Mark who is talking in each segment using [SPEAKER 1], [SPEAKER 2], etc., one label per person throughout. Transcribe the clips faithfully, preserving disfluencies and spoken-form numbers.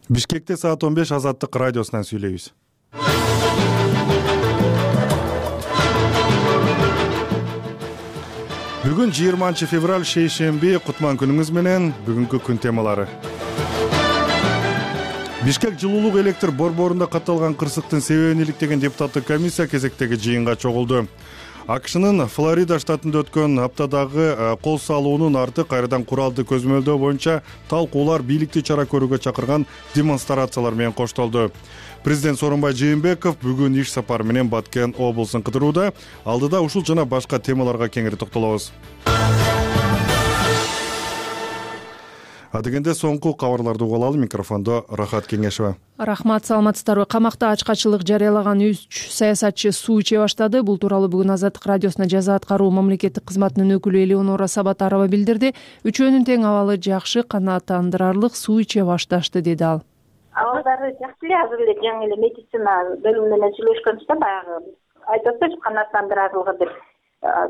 [SPEAKER 1] Бишкекте саат он беш Азаттык радиосунан сүйлөйбүз. Бүгүн жыйырманчы февраль шейшемби, кутман күнүңүз менен. Бүгүнкү күн темалары. Бишкек жылуулук электр борборунда катталган кырсыктын себебин иликтеген депутаттык комиссия кезектеги жыйынга чогулду. АКШнын Флорида штатында өткөн аптадагы кол салуунун арты кайрадан куралды көзөмөлдөө боюнча талкуулар бийликти чара көрүүгө чакырган демонстрациялар менен коштолду. Президент Сооронбай Жээнбеков бүгүн иш сапары менен Баткен облусун кыдырууда. Алдыда ушул жана башка темаларга кеңири токтолобуз. Адегенде соңку кабарларды угалы. Микрофондо Рахат Кеңешева.
[SPEAKER 2] Рахмат, саламатсыздарбы? Камакта ачкачылык жарыялаган үч саясатчы суу иче баштады. Бул тууралуу бүгүн Азаттык радиосуна жаза аткаруу мамлекеттик кызматынын өкүлү Элеонора Сабатарова билдирди. Үчөөнүн тең абалы жакшы, канааттандырарлык суу иче башташты, деди ал.
[SPEAKER 3] Абалдары жакшы эле, азыр эле жаңы эле медицина бөлүмү менен сүйлөшкөнбүз да, баягы айтып атпайбы, канааттандырарлыгы деп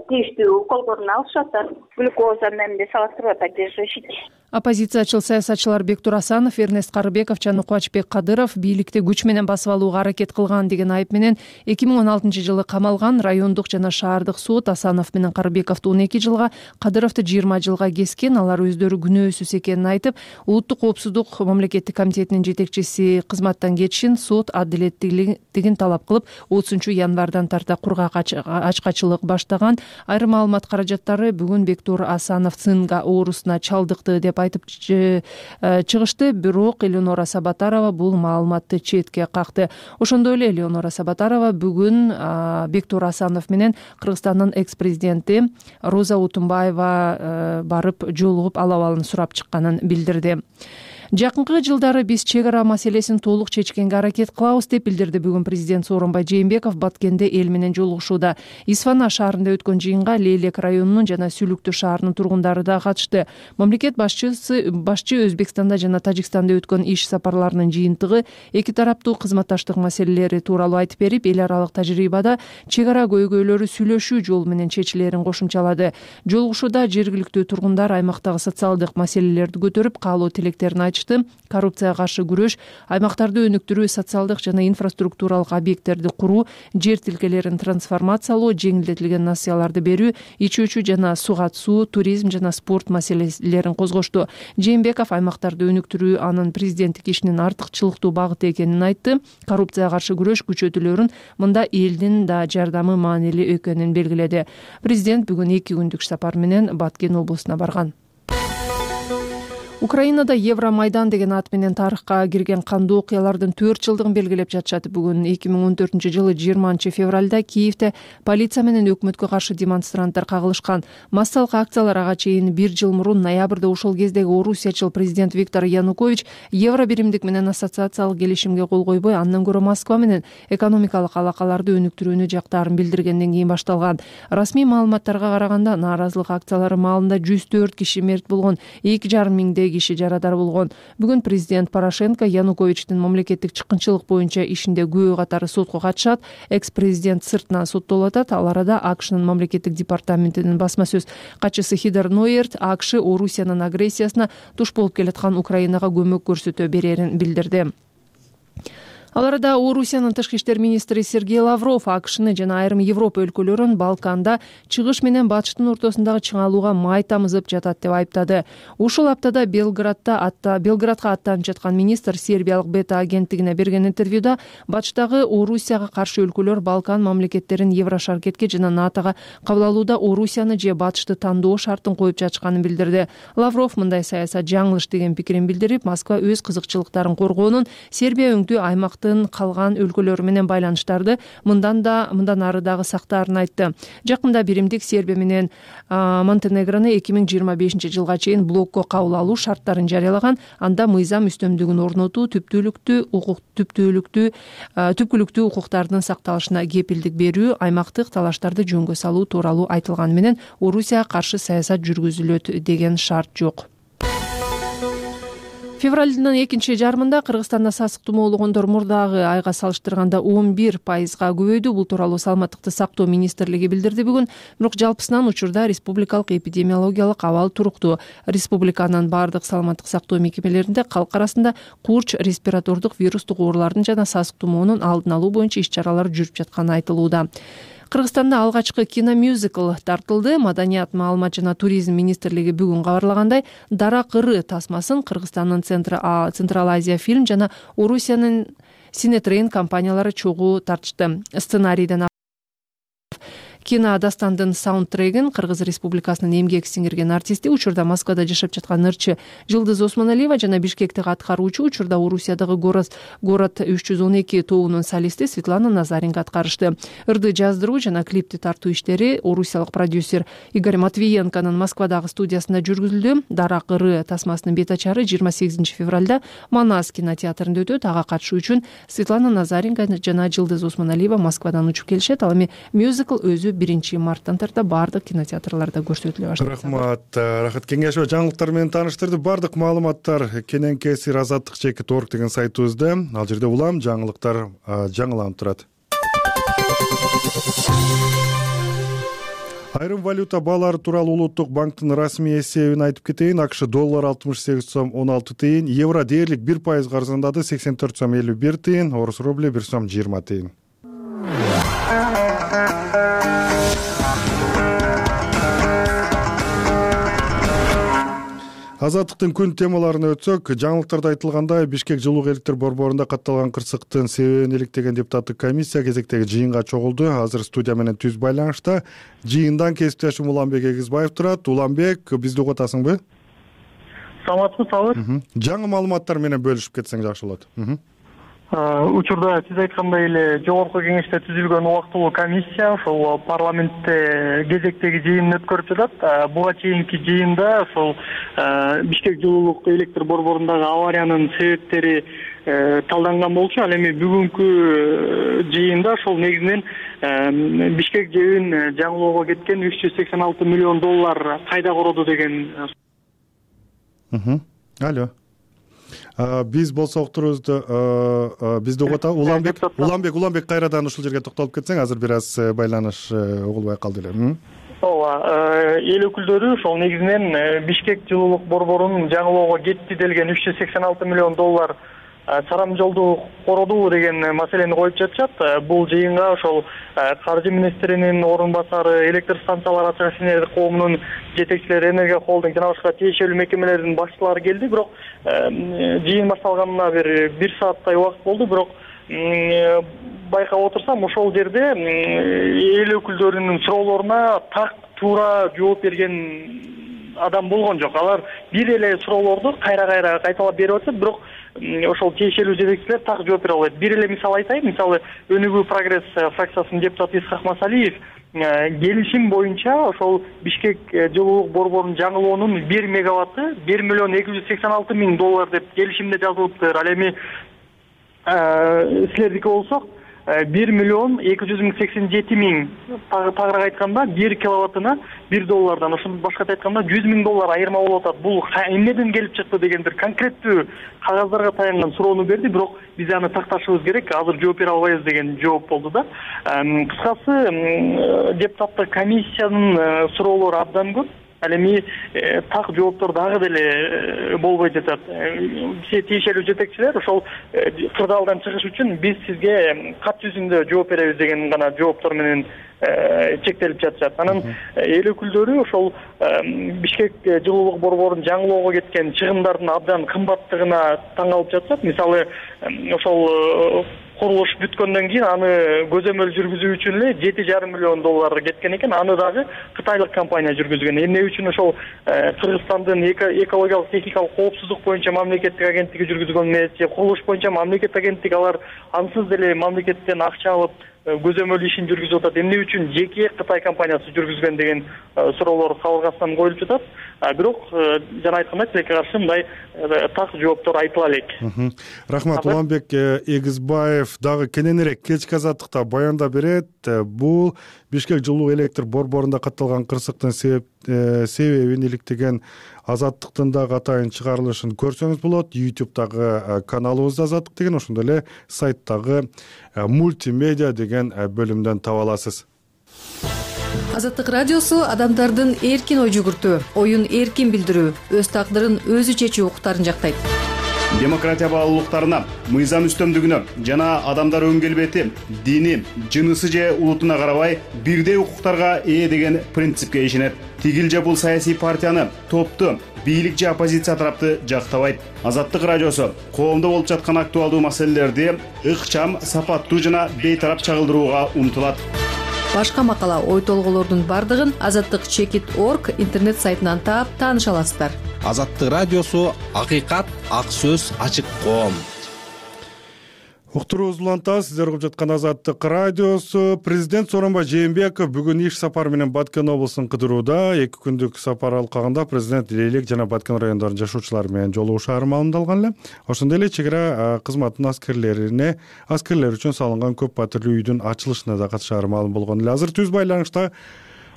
[SPEAKER 3] тийиштүү уколдорун алышып атат, глюкоза менен салыштырып атат, жешишит.
[SPEAKER 2] Оппозициячыл саясатчылар Бектур Асанов, Эрнест Карыбеков жана Кубачбек Кадыров бийликти күч менен басып алууга аракет кылган деген айып менен эки миң он алтынчы жылы камалган. Райондук жана шаардык суд Асанов менен Карыбековду он эки жылга, Кадыровду жыйырма жылга кескен. Алар өздөрү күнөөсүз экенин айтып, улуттук коопсуздук мамлекеттик комитетинин жетекчиси кызматтан кетишин, сот адилеттүүлүгүн талап кылып, отузунчу январдан тарта кургак ачкачылык баштаган. Айрым маалымат каражаттары бүгүн Бектур Асанов цинга оорусуна чалдыкты деп айтып чыгышты, бирок Элеонора Сабатарова бул маалыматты четке какты. Ошондой эле Элеонора Сабатарова бүгүн Бектур Асанов менен Кыргызстандын экс-президенти Роза Утунбаева барып жолугуп ал абалын сурап чыкканын билдирди. Жакынкы жылдары биз чек ара маселесин толук чечкенге аракет кылабыз деп билдирди бүгүн президент Сооронбай Жээнбеков Баткенде эл менен жолугушууда. Исфана шаарында өткөн жыйынга Лейлек районунун жана Сүлүктү шаарынын тургундары да катышты. Мамлекет башчысы башчы Өзбекстанда жана Тажикстанда өткөн иш сапарларынын жыйынтыгы эки тараптуу кызматташтык маселелери тууралуу айтып берип, эл аралык тажрыйбада чек ара көйгөйлөрү сүйлөшүү жолу менен чечилерин кошумчалады. Жолугушууда жергиликтүү тургундар аймактагы социалдык маселелерди көтөрүп, каалоо тилектерин айтышты. Коррупцияга каршы күрөш, аймактарды өнүктүрүү, социалдык жана инфраструктуралык объекттерди куруу, жер тилкелерин трансформациялоо, жеңилдетилген насыяларды берүү, ичүүчү жана суга суу, туризм жана спорт маселелерин козгошту. Жээнбеков аймактарды өнүктүрүү анын президенттик ишинин артыкчылыктуу багыты экенин айтты. Коррупцияга каршы күрөш күчөтүлөрүн мында элдин да жардамы маанилүү экенин белгиледи. Президент бүгүн эки күндүк сапар менен Баткен облусуна барган. Украинада Евромайдан деген ат менен тарыхка кирген кандуу окуялардын төрт жылдыгын белгилеп жатышат. Бүгүн эки миң он төртүнчү жылы жыйырманчы февралда Киевде полиция менен өкмөткө каршы демонстранттар кагылышкан. Массалык акциялар ага чейин бир жыл мурун ноябрда ошол кездеги орусиячыл президент Виктор Янукович евро биримдик менен ассоциациялык келишимге кол койбой, андан көрө Москва менен экономикалык алакаларды өнүктүрүүнү жактаарын билдиргенден кийин башталган. Расмий маалыматтарга караганда, нааразылык акциялары маалында жүз төрт киши мерт болгон, эки жарым миңдей киши жарадар болгон. Бүгүн президент Порошенко Януковичтин мамлекеттик чыккынчылык боюнча ишинде күбө катары сотко катышат. Экс-президент сыртынан соттолуп атат. Ал арада АКШнын мамлекеттик департаментинин басма сөз катчысы Хидер Нойерт АКШ Орусиянын агрессиясына туш болуп келаткан Украинага көмөк көрсөтө берерин билдирди. Ал арада Орусиянын тышкы иштер министри Сергей Лавров АКШны жана айрым Европа өлкөлөрүн Балканда чыгыш менен батыштын ортосундагы чыңалууга май тамызып жатат деп айыптады. Ушул аптада Белградда атта Белградка аттанып жаткан министр сербиялык Бета агенттигине берген интервьюда батыштагы Орусияга каршы өлкөлөр Балкан мамлекеттерин Еврошаркетке жана НАТОга кабыл алууда Орусияны же батышты тандоо шартын коюп жатышканын билдирди. Лавров мындай саясат жаңылыш деген пикирин билдирип, Москва өз кызыкчылыктарын коргоонун, Сербия өңдүү аймак калган өлкөлөрү менен байланыштарды мындан да мындан ары дагы сактаарын айтты. Жакында биримдик Сербия менен Монтенегрону эки миң жыйырма бешинчи жылга чейин блокко кабыл алуу шарттарын жарыялаган. Анда мыйзам үстөмдүгүн орнотуу, түптүүлүктүү укук түптүүлүктүү түпкүлүктүү укуктардын сакталышына кепилдик берүү, аймактык талаштарды жөнгө салуу тууралуу айтылганы менен Орусияга каршы саясат жүргүзүлөт деген шарт жок. Февралдын экинчи жарымында Кыргызстанда сасык тумоологондор мурдагы айга салыштырганда он бир пайызга көбөйдү. Бул тууралуу Саламаттыкты сактоо министрлиги билдирди бүгүн. Бирок жалпысынан учурда республикалык эпидемиологиялык абал туруктуу. Республиканын бардык саламаттык сактоо мекемелеринде калк арасында курч, респиратордук вирустук оорулардын жана сасык тумоонун алдын алуу боюнча иш-чаралар жүрүп жатканы айтылууда. Кыргызстанда алгачкы киномюзикл тартылды. Маданият, маалымат жана туризм министрлиги бүгүн кабарлагандай, Дарак ыры тасмасын Кыргызстандын Централ Азия фильм жана Орусиянын Синетрейн компаниялары чогуу тартышты. Сценарийден кино дастандын саундтрегин Кыргыз Республикасынын эмгек сиңирген артисти, учурда Москвада жашап жаткан ырчы Жылдыз Осмоналиева жана Бишкектеги аткаруучу, учурда Орусиядагы город город үч жүз он эки тобунун солисти Светлана Назаренко аткарышты. Ырды жаздыруу жана клипти тартуу иштери орусиялык продюсер Игорь Матвиенконун Москвадагы студиясында жүргүзүлдү. Дарак ыры тасмасынын бет ачары жыйырма сегизинчи февралда Манас кинотеатрында өтөт. Ага катышуу үчүн Светлана Назаренко жана Жылдыз Осмоналиева Москвадан учуп келишет. Ал эми мюзикл өзү биринчи марттан тарта баардык кинотеатрларда көрсөтүлө баштайт.
[SPEAKER 1] Рахмат. Рахат Кеңешова жаңылыктар менен тааныштырды. Бардык маалыматтар кененки эсир азаттык чекит орг деген сайтыбызда. Ал жерде улам жаңылыктар жаңыланып турат. Айрым валюта баалары тууралуу Улуттук банктын расмий эсебин айтып кетейин. АКШ доллар алтымыш сегиз сом он алты тыйын, евро дээрлик бир пайызга арзандады, сексен төрт сом элүү бир тыйын, орус рубли бир сом жыйырма тыйын. Азаттыктын күн темаларына өтсөк, жаңылыктарда айтылгандай, Бишкек жылуу электр борборунда катталган кырсыктын себебин иликтеген депутаттык комиссия кезектеги жыйынга чогулду. Азыр студия менен түз байланышта жыйындан кесиптешим Уланбек Эгизбаев турат. Уланбек, бизди угатасыңбы?
[SPEAKER 4] Саламатсызбы, сабыр.
[SPEAKER 1] Жаңы маалыматтар менен бөлүшүп кетсең жакшы болот.
[SPEAKER 4] Учурда сиз айткандай эле жогорку кеңеште түзүлгөн убактылуу комиссия ошол парламентте кезектеги жыйынын өткөрүп жатат. Буга чейинки жыйында ошол Бишкек жылуулук электр борборундагы авариянын себептери талданган болчу. Ал эми бүгүнкү жыйында ошол негизинен Бишкек жебин жаңылоого кеткен үч жүз сексен алты миллион доллар кайда короду деген.
[SPEAKER 1] Алло. Биз болсок турубузду бизди угатабы Уланбек Уланбек Уланбек кайрадан ушул жерге токтолуп кетсең, азыр бир аз байланыш угулбай калды эле.
[SPEAKER 4] Ооба, эл өкүлдөрү ошол негизинен Бишкек жылуулук борборунун жаңылоого кетти делген үч жүз сексен алты миллион доллар сарам жолду кородуу деген маселени коюп жатышат. Бул жыйынга ошол каржы министринин орун басары, электр станциялар акционерлер коомунун жетекчилери, Энергия холдинг жана башка тиешелүү мекемелердин башчылары келди. Бирок жыйын башталганына бир бир сааттай убакыт болду. Бирок байкап отурсам, ошол жерде эл өкүлдөрүнүн суроолоруна так туура жооп берген адам болгон жок. Алар бир эле суроолорду кайра-кайра кайталап берип атышат, бирок ошол тиешелүү жетекчилер так жооп бере албайт. Бир эле мисал айтайын. Мисалы, Өнүгүү прогресс фракциясынын депутаты Исхак Масалиев келишим боюнча ошол Бишкек жылуулук борборунун жаңылоонун бир мегаватты бир миллион эки жүз сексен алты миң доллар деп келишимде жазылыптыр. Ал эми силердики болсок бир миллион эки жүз миң сексен жети миң, тагыраак айтканда бир киловаттына бир доллардан, ошондон башкача айтканда жүз миң доллар айырма болуп атат. Бул эмнеден келип чыкты деген бир конкреттүү кагаздарга таянган суроону берди, бирок биз аны такташыбыз керек, азыр жооп бере албайбыз деген жооп болду да. Кыскасы, депутаттык комиссиянын суроолору абдан көп. Ал эми так жооптор дагы деле болбой жатат. Тиешелүү жетекчилер ошол кырдаалдан чыгыш үчүн биз сизге кат жүзүндө жооп беребиз деген гана жооптор менен чектелип жатышат. Анан эл өкүлдөрү ошол Бишкек жылуулук борборунун жаңылоого кеткен чыгымдардын абдан кымбаттыгына таң калып жатышат. Мисалы, ошол курулуш бүткөндөн кийин аны көзөмөл жүргүзүү үчүн эле жети жарым миллион доллар кеткен экен. Аны дагы кытайлык компания жүргүзгөн. Эмне үчүн ошол Кыргызстандын экологиялык техникалык коопсуздук боюнча мамлекеттик агенттиги жүргүзгөн эмес, же курулуш боюнча мамлекеттик агенттик, алар ансыз деле мамлекеттен акча алып көзөмөл ишин жүргүзүп атат. Эмне үчүн жеке Кытай компаниясы жүргүзгөн деген суроолор кабыргасынан коюлуп жатат. Бирок жана айткандай, тилекке каршы мындай так жооптор айтыла элек.
[SPEAKER 1] Рахмат. Уланбек Эгизбаев дагы кененирээк кечки азаттыкта баяндап берет. Бул Бишкек жылуу электр борборунда катталган кырсыктын себебин иликтеген Азаттыктын дагы атайын чыгарылышын көрсөңүз болот. ютубтагы каналыбызда Азаттык деген, ошондой эле сайттагы мультимедиа деген бөлүмдөн таба аласыз.
[SPEAKER 5] Азаттык радиосу адамдардын эркин ой жүгүртүү, оюн эркин билдирүү, өз тагдырын өзү чечүү укуктарын жактайт.
[SPEAKER 6] Демократия баалуулуктарына, мыйзам үстөмдүгүнө жана адамдар өң келбети, дини, жынысы же улутуна карабай бирдей укуктарга ээ деген принципке ишенет. Тигил же бул саясий партияны, топту, бийлик же оппозиция тарапты жактабайт. Азаттык радиосу коомдо болуп жаткан актуалдуу маселелерди ыкчам, сапаттуу жана бейтарап чагылдырууга умтулат.
[SPEAKER 5] Башка макала, ой толгоолордун бардыгын азаттык чекит точка орг интернет сайтынан таап тааныша аласыздар.
[SPEAKER 7] Азаттык радиосу акыйкат, ак сөз, ачык коом.
[SPEAKER 1] Уктуруубуз уланта, сиздер угуп жаткан Азаттык радиосу. Президент Сооронбай Жээнбеков бүгүн иш сапары менен Баткен облусун кыдырууда. эки күндүк сапар алкагында президент Лейлек жана Баткен райондорунун жашоочулары менен жолугушаары маалымдалган эле. Ошондой эле чек ара кызматынын аскерлерине, аскерлер үчүн салынган көп батирлүү үйдүн ачылышына да катышаары маалым болгон эле. Азыр түз байланышта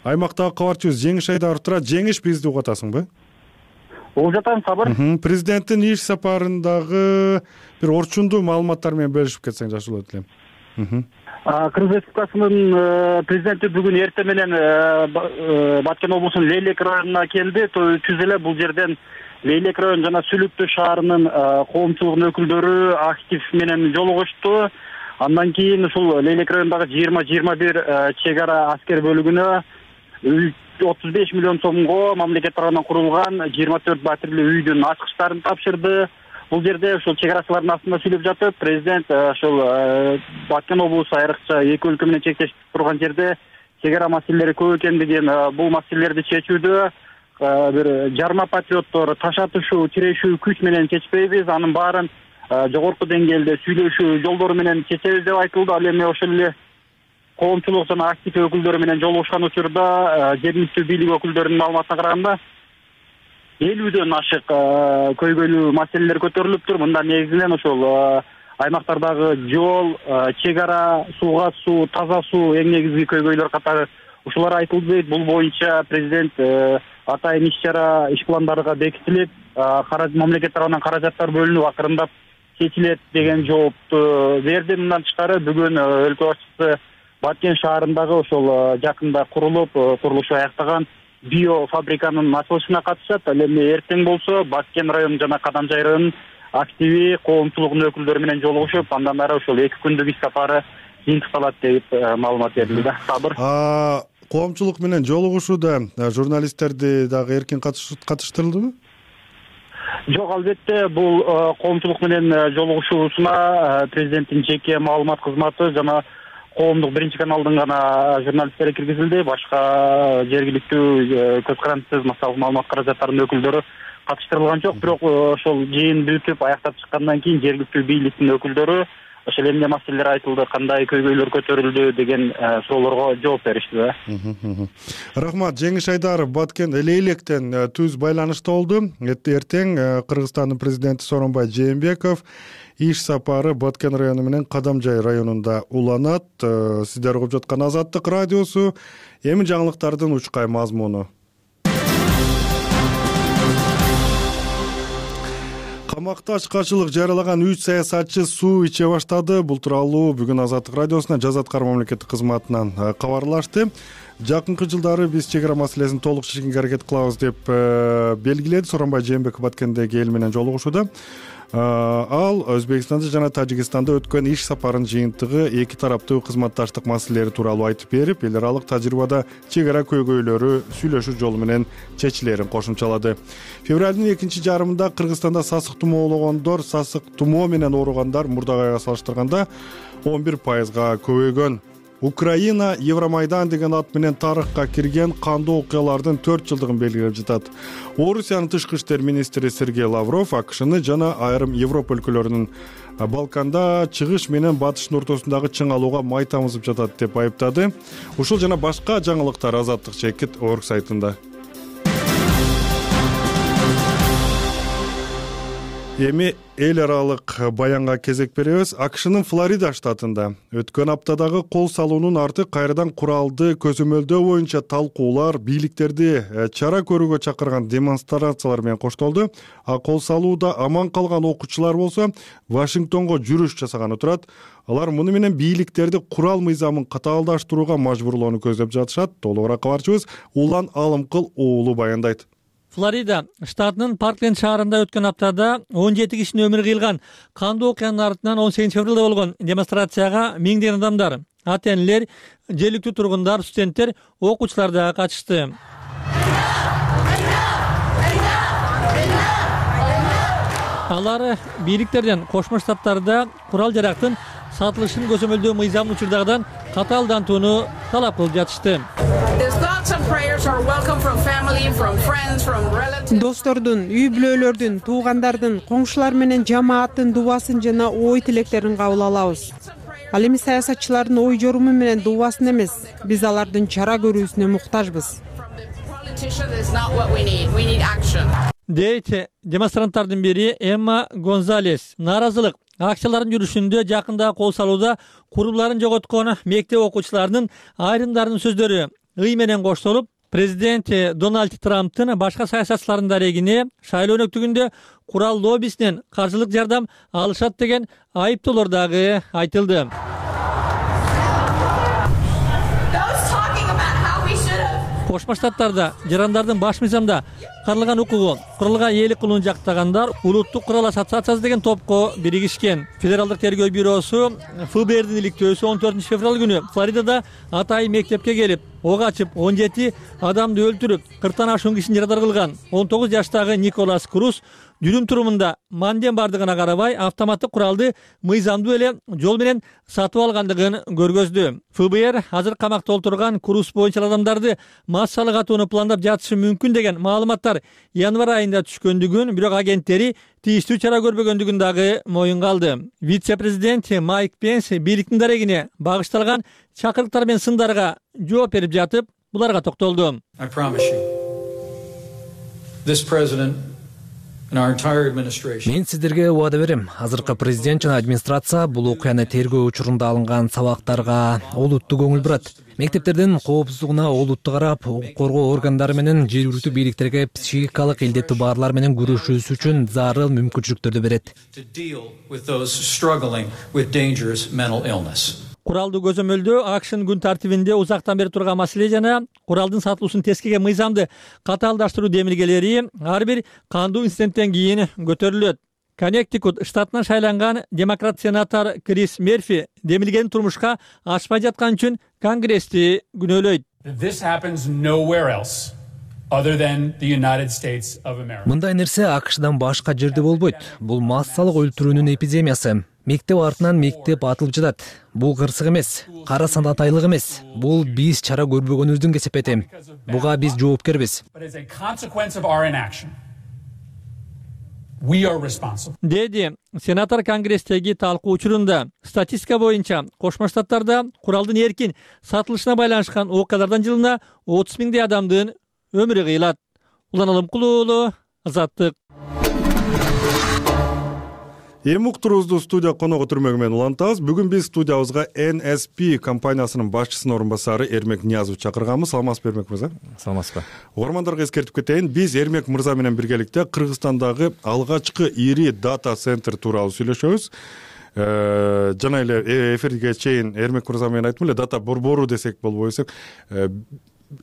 [SPEAKER 1] аймактагы кабарчыбыз Жеңиш Айдаров турат. Жеңиш, бизди угуп атасыңбы?
[SPEAKER 4] Угуп жатам, Сабыр.
[SPEAKER 1] Президенттин иш сапарындагы бир орчундуу маалыматтар менен бөлүшүп кетсең жакшы болот элем.
[SPEAKER 4] Кыргыз Республикасынын президенти бүгүн эртең менен Баткен облусунун Лейлек районуна келди. Түз эле бул жерден Лейлек район жана Сүлүктүү шаарынын коомчулугунун өкүлдөрү актив менен жолугушту. Андан кийин ушул Лейлек районундагы жыйырма жыйырма бир чек ара аскер бөлүгүнө отуз беш миллион сомго мамлекет тарабынан курулган жыйырма төрт батирлүү үйдүн ачкычтарын тапшырды. Бул жерде ушул чек арачылардын астында сүйлөп жатып, президент ушул Баткен облусу айрыкча эки өлкө менен чектешип турган жерде чек ара маселелери көп экендигин, бул маселелерди чечүүдө бир жарма патриоттор таш атышуу, тирешүү күч менен чечпейбиз, анын баарын жогорку деңгээлде сүйлөшүү жолдору менен чечебиз деп айтылды. Ал эми ошол эле коомчулук жана актив өкүлдөрү менен жолугушкан учурда жергиликтүү бийлик өкүлдөрүнүн маалыматына караганда элүүдөн ашык көйгөйлүү маселелер көтөрүлүптүр. Мында негизинен ошол аймактардагы жол, чек ара, сууга суу, таза суу эң негизги көйгөйлөр катары ушулар айтылды дейт. Бул боюнча президент атайын иш чара, иш пландарга бекитилип, мамлекет тарабынан каражаттар бөлүнүп акырындап чечилет деген жоопту берди. Мындан тышкары бүгүн өлкө башчысы Баткен шаарындагы ошол жакында курулуп, курулушу аяктаган биофабриканын ачылышына катышат. Ал эми эртең болсо Баткен району жана Кадамжай районунун активи коомчулугунун өкүлдөрү менен жолугушуп, андан ары ошол эки күндүк иш сапары жыйынтыкталат деп маалымат берилди да. Сабыр.
[SPEAKER 1] Коомчулук менен жолугушууда журналисттерди дагы эркин катыштырылдыбы?
[SPEAKER 4] Жок, албетте, бул коомчулук менен жолугушуусуна президенттин жеке маалымат кызматы жана коомдук биринчи каналдын гана журналисттери киргизилди. Башка жергиликтүү көз карандысыз массалык маалымат каражаттарынын өкүлдөрү катыштырылган жок. Бирок ошол жыйын бүтүп аяктап чыккандан кийин жергиликтүү бийликтин өкүлдөрү ошол эмне маселелер айтылды, кандай көйгөйлөр көтөрүлдү деген суроолорго жооп беришти да.
[SPEAKER 1] Рахмат. Жеңиш Айдаров Баткен Лейлектен түз байланышта болду. Эртең Кыргызстандын президенти Сооронбай Жээнбеков иш сапары Баткен району менен Кадамжай районунда уланат. Сиздер угуп жаткан Азаттык радиосу. Эми жаңылыктардын учкай мазмуну. Камакта ачкачылык жарыялаган үч саясатчы суу иче баштады. Бул тууралуу бүгүн Азаттык радиосуна Жаза аткаруу мамлекеттик кызматынан кабарлашты. Жакынкы жылдары биз чек ара маселесин толук чечкенге аракет кылабыз деп белгиледи Сооронбай Жээнбеков Баткендеги эл менен жолугушууда. Ал Өзбекстанда жана Тажикстанда өткөн иш сапарынын жыйынтыгы эки тараптуу кызматташтык маселелери тууралуу айтып берип, эл аралык тажрыйбада чек ара көйгөйлөрү сүйлөшүү жолу менен чечилерин кошумчалады. Февралдын экинчи жарымында Кыргызстанда сасык тумоологондор, сасык тумоо менен ооругандар мурдагы айга салыштырганда он бир пайызга көбөйгөн. Украина Евромайдан деген ат менен тарыхка кирген кандуу окуялардын төрт жылдыгын белгилеп жатат. Орусиянын тышкы иштер министри Сергей Лавров АКШны жана айрым Европа өлкөлөрүнүн Балканда чыгыш менен батыштын ортосундагы чың алууга май тамызып жатат деп айыптады. Ушул жана башка жаңылыктар Азаттык чекит точка орг сайтында. Эми эл аралык баянга кезек беребиз. АКШнын Флорида штатында өткөн аптадагы кол салуунун арты кайрадан куралды көзөмөлдөө боюнча талкуулар, бийликтерди чара көрүүгө чакырган демонстрациялар менен коштолду. А кол салууда аман калган окуучулар болсо Вашингтонго жүрүш жасаганы турат. Алар муну менен бийликтерди курал мыйзамын катаалдаштырууга мажбурлоону көздөп жатышат. Толугураак кабарчыбыз Улан Алымкыл уулу баяндайт.
[SPEAKER 8] Флорида штатынын Паркленд шаарында өткөн аптада он жети кишинин өмүрү кыйылган кандуу окуянын артынан он сегизинчи февралда болгон демонстрацияга миңдеген адамдар, ата-энелер, жергиликтүү тургундар, студенттер, окуучулар да катышты. Алар бийликтерден Кошмо Штаттарда курал жарактын сатылышын көзөмөлдөө мыйзамын учурдагыдан катаалдантууну талап кылып жатышты.
[SPEAKER 9] Достордун, үй бүлөлөрдүн, туугандардын, коңшулар менен жамааттын дубасын жана ой тилектерин кабыл алабыз. Ал эми саясатчылардын ой жоруму менен дубасын эмес, биз алардын чара көрүүсүнө муктажбыз.
[SPEAKER 8] Дейт демонстранттардын бири Эмма Гонзалес. Нааразылык акциялардын жүрүшүндө жакында кол салууда куруларын жоготкон мектеп окуучуларынын айрымдарынын сөздөрү ый менен коштолуп, президент Дональд Трамптын башка саясатчылардын дарегине шайлоо өнөктүгүндө курал лоббисинен каржылык жардам алышат деген айыптоолор дагы айтылды. Кошмо Штаттарда жарандардын баш мыйзамда каралган укугу куралга ээлик кылууну жактагандар улуттук курал ассоциациясы деген топко биригишкен. Федералдык тергөө бюросу эф бэ эрдин иликтөөсү он төртүнчү февраль күнү Флоридада атайын мектепке келип, ок ачып он жети адамды өлтүрүп, кырктан ашуун кишини жарадар кылган он тогуз жаштагы Николас Круз жүрүм турумунда манден бардыгына карабай автоматтык куралды мыйзамдуу эле жол менен сатып алгандыгын көргөздү. эф бэ эр азыр камакта отурган Круз боюнча адамдарды массалык атууну пландап жатышы мүмкүн деген маалыматтар январь айында түшкөндүгүн, бирок агенттери тийиштүү чара көрбөгөндүгүн дагы моюнга алды. Вице-президент Майк Пенс бийликтин дарегине багышталган чакырыктар менен сындарга жооп берип жатып, буларга токтолду.
[SPEAKER 10] Мен сиздерге убада берем. Азыркы президент жана администрация бул окуяны тергөө учурунда алынган сабактарга олуттуу көңүл бурат. Мектептердин коопсуздугуна олуттуу карап, укук коргоо органдары менен жергиликтүү бийликтерге психикалык илдеттүү баарлар менен күрөшүүсү үчүн зарыл мүмкүнчүлүктөрдү берет.
[SPEAKER 8] Куралды көзөмөлдөө АКШнын күн тартибинде узактан бери турган маселе жана куралдын сатылуусун тескиген мыйзамды катаалдаштыруу демилгелери ар бир кандуу инциденттен кийин көтөрүлөт. Коннектикут штатынан шайланган демократ сенатор Крис Мерфи демилгени турмушка ашпай жаткан үчүн Конгрессти күнөөлөйт.
[SPEAKER 10] Мындай нерсе АКШдан башка жерде болбойт. Бул массалык өлтүрүүнүн эпидемиясы. Мектеп артынан мектеп атылып жатат. Бул кырсык эмес, кара санатайлык эмес. Бул биз чара көрбөгөнүбүздүн кесепети. Буга биз жоопкербиз.
[SPEAKER 8] Деди сенатор Конгресстеги талкуу учурунда. Статистика боюнча Кошмо Штаттарда куралдын эркин сатылышына байланышкан окуялардан жылына отуз миңдей адамдын өмүрү кыйылат. Улан Алымкыл уулу, Азаттык.
[SPEAKER 1] Эми уктуруубузду студия коногу түрмөгү менен улантабыз. Бүгүн биз студиябызга эн эс пи компаниясынын башчысынын орун басары Эрмек Ниязов чакырганбыз. Саламатсызбы, Эрмек мырза?
[SPEAKER 10] Саламатсызбы.
[SPEAKER 1] Угармандарга эскертип кетейин, биз Эрмек мырза менен биргеликте Кыргызстандагы алгачкы ири дата центр тууралуу сүйлөшөбүз. Жана эле эфирге чейин Эрмек мырза менен айттым эле, дата борбору десек болбой десек,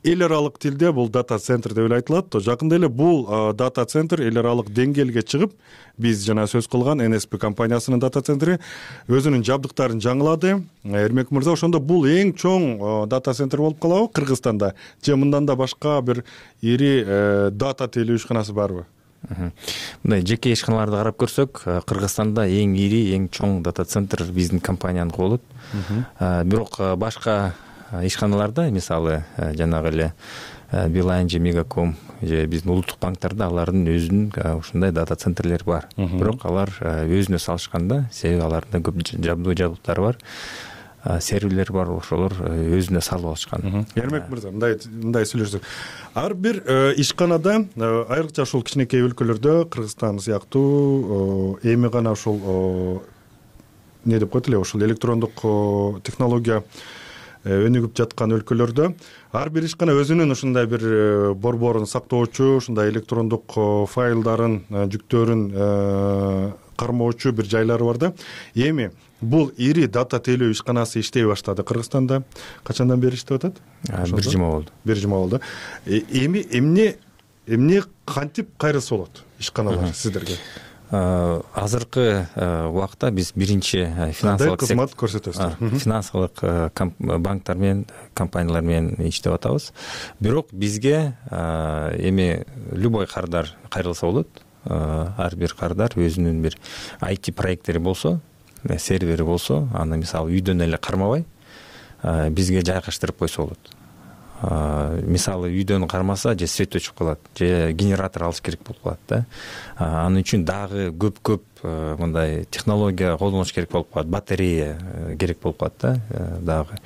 [SPEAKER 1] эл аралык тилде бул дата центр деп эле айтылат. Жакында эле бул дата центр эл аралык деңгээлге чыгып, биз жана сөз кылган эн эс пи компаниясынын дата центри өзүнүн жабдыктарын жаңылады. Эрмек мырза, ошондо бул эң чоң дата центр болуп калабы Кыргызстанда? Же мындан да башка бир ири дата теле ишканасы барбы?
[SPEAKER 11] Мындай жеке ишканаларды карап көрсөк, Кыргызстанда эң ири, эң чоң дата центр биздин компанияныкы болот. Бирок башка ишканаларда, мисалы, жанагы эле Билайн же Мегаком же биздин улуттук банктарда алардын өзүнүн ушундай дата центрлери бар. Бирок алар өзүнө салышканда, себеби алардын көп жабдуу жабдыктары бар. серверлер бар, ошолор өзүнө салып алышкан.
[SPEAKER 1] Эрмек мырза, мындай мындай сүйлөшсөк, ар бир ишканада, айрыкча ушул кичинекей өлкөлөрдө, Кыргызстан сыяктуу эми гана ушул не деп коет эле, ушул электрондук технология өнүгүп жаткан өлкөлөрдө ар бир ишкана өзүнүн ушундай бир борборун сактоочу, ушундай электрондук файлдарын, жүктөрүн кармоочу бир жайлары бар да. Эми бул ири дата тейлөө ишканасы иштей баштады Кыргызстанда. Качандан бери иштеп атат?
[SPEAKER 11] Бир жума болду.
[SPEAKER 1] Бир жума болду. Эми эмне эмне кантип кайрылса болот ишканалар сиздерге?
[SPEAKER 11] Азыркы убакта биз биринчи финансылык
[SPEAKER 1] кызмат көрсөтөсүздөр.
[SPEAKER 11] Финансылык банктар менен, компаниялар менен иштеп атабыз. Бирок бизге эми любой кардар кайрылса болот. Ар бир кардар өзүнүн бир ай ти проекттери болсо, сервери болсо, аны мисалы үйдөн эле кармабай бизге жайгаштырып койсо болот. Мисалы үйдөн кармаса, же свет өчүп калат, же генератор алыш керек болуп калат да. Анын үчүн дагы көп-көп мындай технология колдонуш керек болуп калат, батарея керек болуп калат да дагы.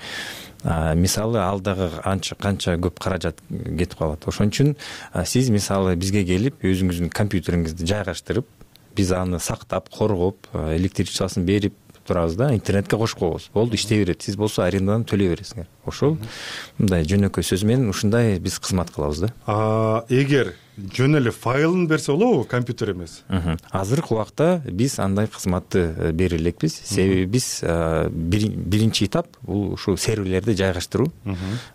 [SPEAKER 11] Мисалы ал дагы анча канча көп каражат кетип калат. Ошон үчүн сиз мисалы бизге келип, өзүңүздүн компьютериңизди жайгаштырып, биз аны сактап, коргоп, электричествосын берип турабыз да, интернетке кошуп коебуз. Болду, иштей берет. Сиз болсо арендадан төлөй бересиңер. Ошол мындай жөнөкөй сөз менен ушундай биз кызмат кылабыз да.
[SPEAKER 1] Эгер жөн эле файлын берсе болобу, компьютер эмес?
[SPEAKER 11] Азыркы убакта биз андай кызматты бере элекпиз. Себеби биз биринчи этап бул ушу серверлерди жайгаштыруу.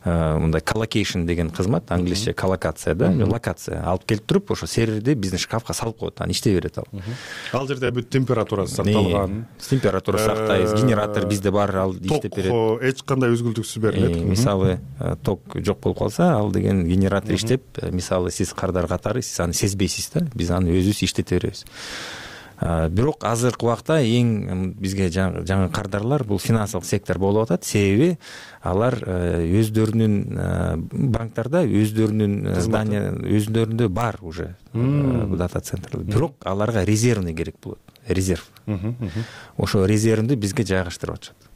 [SPEAKER 11] Мындай коллокейшн деген кызмат, англисче коллокация да, локация алып келип туруп, ошо серверди биздин шкафка салып коет, аны иштей берет ал.
[SPEAKER 1] Ал жерде бүт температурасы сакталган.
[SPEAKER 11] Температура сактайбыз, генератор бизде бар, ал иштеп берет.
[SPEAKER 1] Ток эч кандай үзгүлтүксүз берилет.
[SPEAKER 11] Мисалы ток жок болуп калса, ал деген генератор иштеп, мисалы сиз кардар катары сиз аны сезбейсиз да, биз аны өзүбүз иштете беребиз. Бирок азыркы убакта эң бизге жаңы кардарлар бул финансылык сектор болуп атат. Себеби алар өздөрүнүн банктарда өздөрүнүн здания өздөрүндө бар уже дата центрлер. Бирок аларга резервный керек болот. Резерв. Ошо резервди бизге жайгаштырып атышат.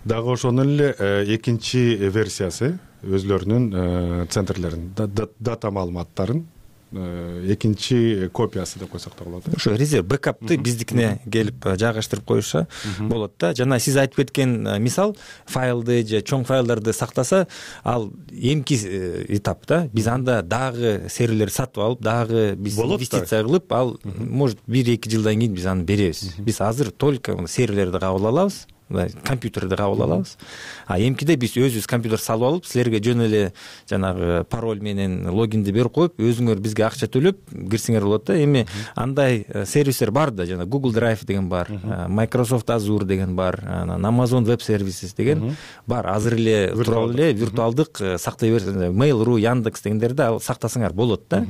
[SPEAKER 1] Дагы ошонун эле экинчи версиясы өзлөрүнүн центрлерин, дата маалыматтарын экинчи копиясы деп койсок да болот.
[SPEAKER 11] Ошо резерв бэкапты биздикине келип жайгаштырып коюша болот да. Жана сиз айтып кеткен мисал, файлды же чоң файлдарды сактаса, ал эмки этап да. Биз анда дагы серверлер сатып алып, дагы биз инвестиция кылып, ал может бир-эки жылдан кийин биз аны беребиз. Биз азыр только серверлерди кабыл алабыз, компьютерди кабыл алабыз. А эмкиде биз өзүбүз компьютер салып алып, силерге жөн эле жанагы пароль менен логинди берип коюп, өзүңөр бизге акча төлөп кирсеңер болот да. Эми андай сервистер бар да, жана Google Drive деген бар, Microsoft Azure деген бар, анан Amazon Web Services деген бар. Азыр эле туруп эле виртуалдык сактай берсеңер, Mail.ru, Яндекс дегендерди ал сактасаңар болот да.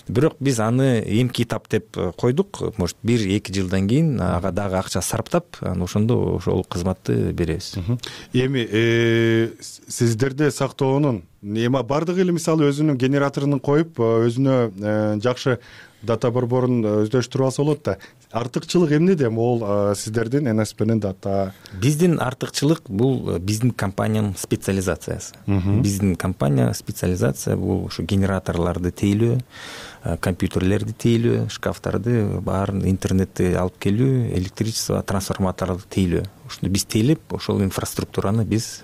[SPEAKER 11] Бирок биз аны эмки этап деп койдук. Может бир-эки жылдан кийин ага дагы акча сарптап, анан ошондо ошол кызматты беребиз.
[SPEAKER 1] Эми сиздерде сактоонун эми бардыгы эле мисалы өзүнүн генераторун коюп, өзүнө жакшы дата борборун өздөштүрүп алса болот да. Артыкчылык эмнеде? Могул сиздердин эн эс пнин дата?
[SPEAKER 11] Биздин артыкчылык бул биздин компаниянын специализациясы. Биздин компания специализация бул ушу генераторлорду тейлөө, компьютерлерди тейлөө, шкафтарды баарын интернетти алып келүү, электричество трансформаторду тейлөө. Ушуну биз тейлеп, ошол инфраструктураны биз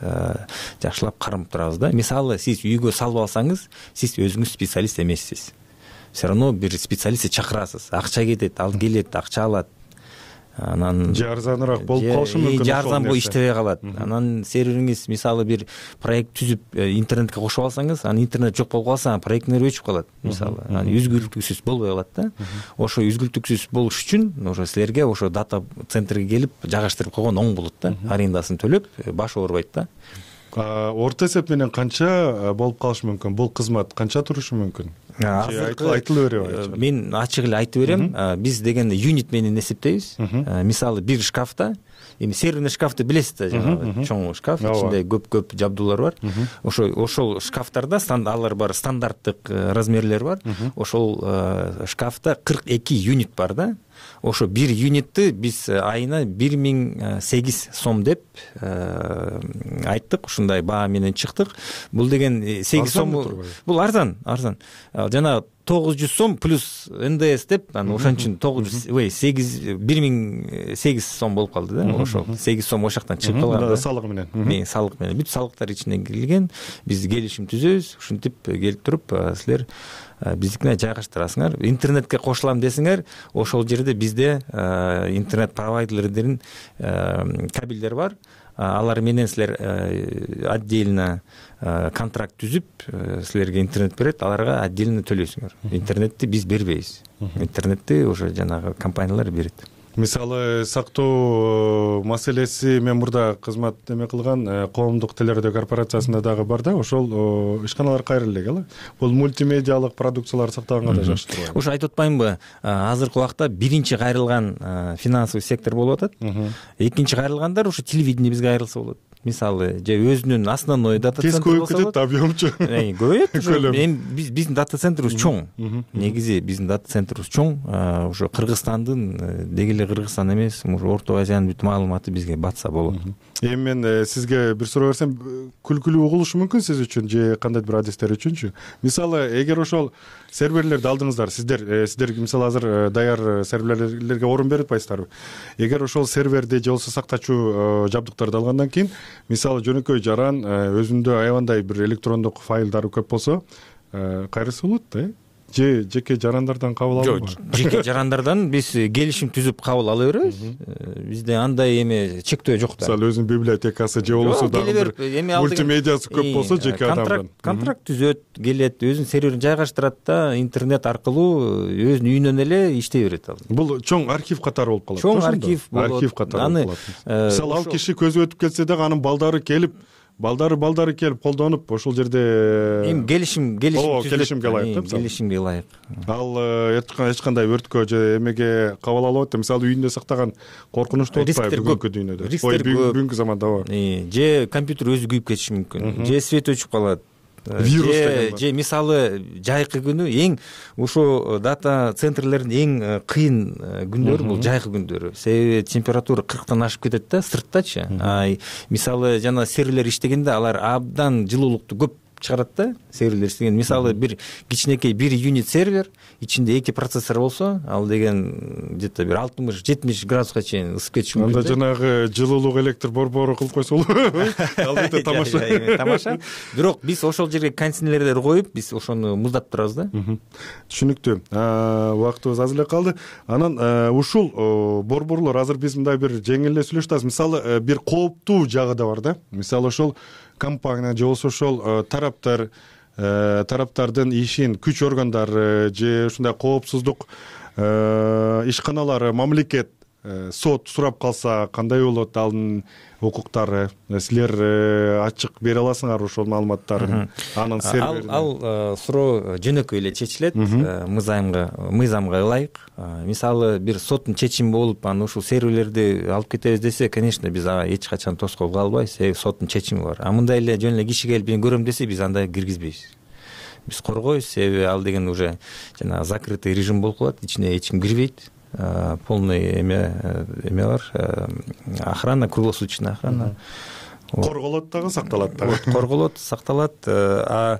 [SPEAKER 11] жакшылап кармап турабыз да. Мисалы сиз үйгө салып алсаңыз, сиз өзүңүз специалист эмессиз. Все равно бир специалистти чакырасыз. Акча кетет, ал келет, акча алат. Анан
[SPEAKER 1] же арзаныраак болуп калышы мүмкүн.
[SPEAKER 11] Же арзан болуп иштебей калат. Анан сервериңиз мисалы бир проект түзүп интернетке кошуп алсаңыз, анан интернет жок болуп калса, проекттер өчүп калат мисалы. Анан үзгүлтүксүз болбой калат да. Ошо үзгүлтүксүз болуш үчүн ошо силерге ошо дата центрге келип жайгаштырып койгон оң болот да. Арендасын төлөп, баш оорубайт да.
[SPEAKER 1] Орто эсеп менен канча болуп калышы мүмкүн? Бул кызмат канча турушу мүмкүн? айтылып береби?
[SPEAKER 11] Мен ачык эле айтып берем. Биз дегенде юнит менен эсептейбиз. Мисалы бир шкафта, эми серверный шкафты билесиз да, жанагы чоң шкаф, ичинде көп-көп жабдуулар бар. Ошо ошол шкафтарда алар бар, стандарттык размерлер бар. Ошол шкафта кырк эки юнит бар да. Ошо бир юнитти биз айына бир миң сегиз сом деп айттык, ушундай баа менен чыктык. Бул деген сегиз сом, бул арзан, арзан. Жана тогуз жүз сом плюс эн дэ эс деп, анан ошон үчүн тогуз жүз, ой, сегиз бир миң сегиз сом болуп калды да. Ошол сегиз сом ошол жактан чыгып калган.
[SPEAKER 1] Салык менен.
[SPEAKER 11] Мен салык менен бүт салыктар ичине кирилген. Биз келишим түзөбүз, ушинтип келип туруп силер биздикине жайгаштырасыңар. Интернетке кошулам десеңер, ошол жерде бизде интернет провайдерлердин кабелдер бар. Алар менен силер отдельно контракт түзүп, силерге интернет берет, аларга отдельно төлөйсүңөр. Интернетти биз бербейбиз. Интернетти уже жанагы компаниялар берет.
[SPEAKER 1] Мисалы, сактоо маселеси мен мурда кызмат эме кылган коомдук телерадио корпорациясында дагы бар да, ошол ишканалар кайра элек эле. Бул мультимедиалык продукциялар сактаганга да жакшы турат.
[SPEAKER 11] Ушу айтып атпаймынбы, азыркы убакта биринчи кайрылган финансовый сектор болуп атат. Экинчи кайрылгандар ушу телевидение бизге кайрылса болот. Мисалы, же өзүнүн основной дата центри болсо.
[SPEAKER 1] Тез көбөйүп кетет, объемчу.
[SPEAKER 11] Көбөйөт. Эми биздин дата центрибиз чоң. Негизи биздин дата центрибиз чоң. Ошо Кыргызстандын деги эле Кыргызстан эмес, ушу Орто Азиянын бүт маалыматы бизге батса болот.
[SPEAKER 1] Эми мен сизге бир суроо берсем, күлкүлүү угулушу мүмкүн сиз үчүн же кандайдыр бир адистер үчүнчү? Мисалы, эгер ошол серверлерди алдыңыздар, сиздер сиздер мисалы азыр даяр серверлерге орун берип атпайсыздарбы? Эгер ошол серверди же болбосо сактачуу жабдыктарды алгандан кийин, мисалы жөнөкөй жаран өзүндө аябандай бир электрондук файлдары көп болсо, кайрысы болот да, э? Же жеке жарандардан кабыл алынбайбы?
[SPEAKER 11] Жок, жеке жарандардан биз келишим түзүп кабыл ала беребиз. Бизде андай эме чектөө жок да.
[SPEAKER 1] Мисалы өзүнүн библиотекасы же болбосо дагы бир мультимедиасы көп болсо жеке адамдан.
[SPEAKER 11] Контракт түзөт, келет, өзүнүн серверин жайгаштырат да, интернет аркылуу өзүнүн үйүнөн эле иштей берет ал.
[SPEAKER 1] Бул чоң архив катары болуп калат.
[SPEAKER 11] Чоң архив болот.
[SPEAKER 1] Архив катары болуп калат. Мисалы ал киши көзү өтүп кетсе дагы анын балдары келип Балдары балдары келип колдонуп, ошол жерде
[SPEAKER 11] эми келишим келишим
[SPEAKER 1] түзүп, келишимге ылайык да,
[SPEAKER 11] келишимге ылайык.
[SPEAKER 1] Ал эч кандай өрткө же эмеге кабыл алып атат. Мисалы үйүндө сактаган коркунучтуу отпайбы бүгүнкү дүйнөдө.
[SPEAKER 11] Ой,
[SPEAKER 1] бүгүнкү заманда бар.
[SPEAKER 11] Же компьютер өзү күйүп кетиши мүмкүн, же свет өчүп калат.
[SPEAKER 1] Вирус деген
[SPEAKER 11] же мисалы жайкы күнү эң ушу дата центрлердин эң кыйын күндөрү бул жайкы күндөрү. Себеби температура кырктан ашып кетет да сырттачы. Мисалы жана серверлер иштегенде алар абдан жылуулукту көп чыгарат да, серверлер иштеген. Мисалы бир кичинекей бир юнит сервер, ичинде эки процессор болсо, ал деген где-то бир алтымыш жетимиш градуска чейин ысып кетиши мүмкүн.
[SPEAKER 1] Анда жанагы жылуулук электр борбору кылып койсо болобу? Албетте тамаша.
[SPEAKER 11] Тамаша. Бирок биз ошол жерге кондиционерлер коюп, биз ошону муздатып турабыз да.
[SPEAKER 1] Түшүнүктүү. Убактыбыз аз эле калды. Анан ушул борборлор азыр биз мындай бир жеңил эле сүйлөшүп атабыз. Мисалы бир кооптуу жагы да бар да. Мисалы ошол компания же болбосо ошол тараптар тараптардын ишин күч органдары же ушундай коопсуздук ишканалары, мамлекет сот сурап калса кандай болот алын укуктары? Силер ачык бере аласыңар ошол маалыматтарды? Анын серверин.
[SPEAKER 11] Ал суроо жөнөкөй эле чечилет, мыйзамга мыйзамга ылайык. Мисалы бир соттун чечими болуп, анан ушул серверлерди алып кетебиз десе, конечно, биз ага эч качан тоскоол кылбайбыз, себеби соттун чечими бар. А мындай эле жөн эле киши келип мен көрөм десе, биз андай киргизбейбиз. Биз коргойбуз, себеби ал деген уже жана закрытый режим болуп калат, ичине эч ким кирбейт. Полный эме эме бар, охрана, круглосуточная охрана.
[SPEAKER 1] Корголот дагы, сакталат дагы.
[SPEAKER 11] Корголот, сакталат. А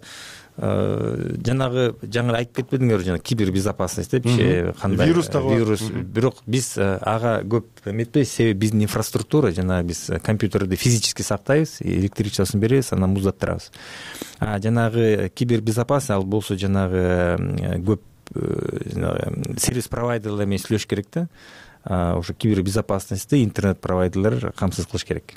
[SPEAKER 11] жанагы жаңы айтып кетпедиңерби, жана кибербезопасность депчи, кандай
[SPEAKER 1] вирус дагы бар.
[SPEAKER 11] Вирус. Бирок биз ага көп эметпейбиз, себеби биздин инфраструктура, жана биз компьютерди физически сактайбыз, электричествосун беребиз, анан муздаттырабыз. А жанагы кибербезопасность ал болсо жанагы көп сервис провайдерлер менен сүйлөш керек да. Ошо кибербезопасностьти интернет провайдерлер камсыз кылыш керек.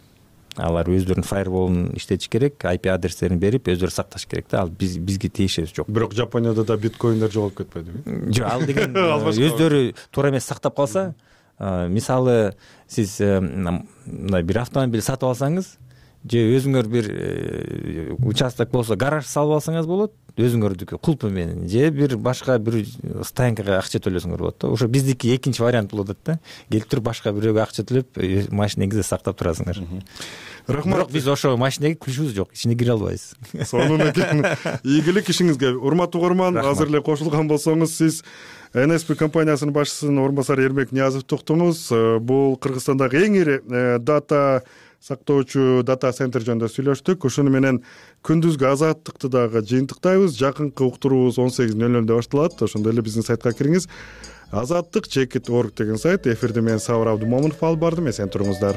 [SPEAKER 11] Алар өздөрүнүн фаерволун иштетиш керек, ай пи адрестерин берип, өздөрү сакташ керек да. Ал биз бизге тиешеси жок.
[SPEAKER 1] Бирок Жапонияда да биткоиндер жоголуп кетпедиби?
[SPEAKER 11] Жок, ал деген өздөрү туура эмес сактап калса, мисалы сиз мындай бир автомобиль сатып алсаңыз, же өзүңөр бир участок болсо гараж салып алсаңыз болот өзүңөрдүкү кулпу менен, же бир башка бир стоянкага акча төлөсөңөр болот да. Ошо биздики экинчи вариант болуп атат да. Келип туруп башка бирөөгө акча төлөп машинеңизди сактап турасыңар.
[SPEAKER 1] Рахмат.
[SPEAKER 11] Бирок биз ошо машинеге ключубуз жок, ичине кире албайбыз.
[SPEAKER 1] Сонун экен. Ийгилик ишиңизге. Урматтуу угарман, азыр эле кошулган болсоңуз, сиз эн эс пи компаниясынын башчысынын орун басары Эрмек Ниязовду уктуңуз. Бул Кыргызстандагы эң ири дата сактоочу дата центр жөнүндө сүйлөштүк. Ошону менен күндүзгү азаттыкты дагы жыйынтыктайбыз. Жакынкы уктуруубуз он сегиз нөл нөлдө башталат. Ошондой эле биздин сайтка кириңиз. азаттык чекит орг деген сайт. Эфирди мен Сабыр Абдумомунов алып бардым. Эсен туруңуздар.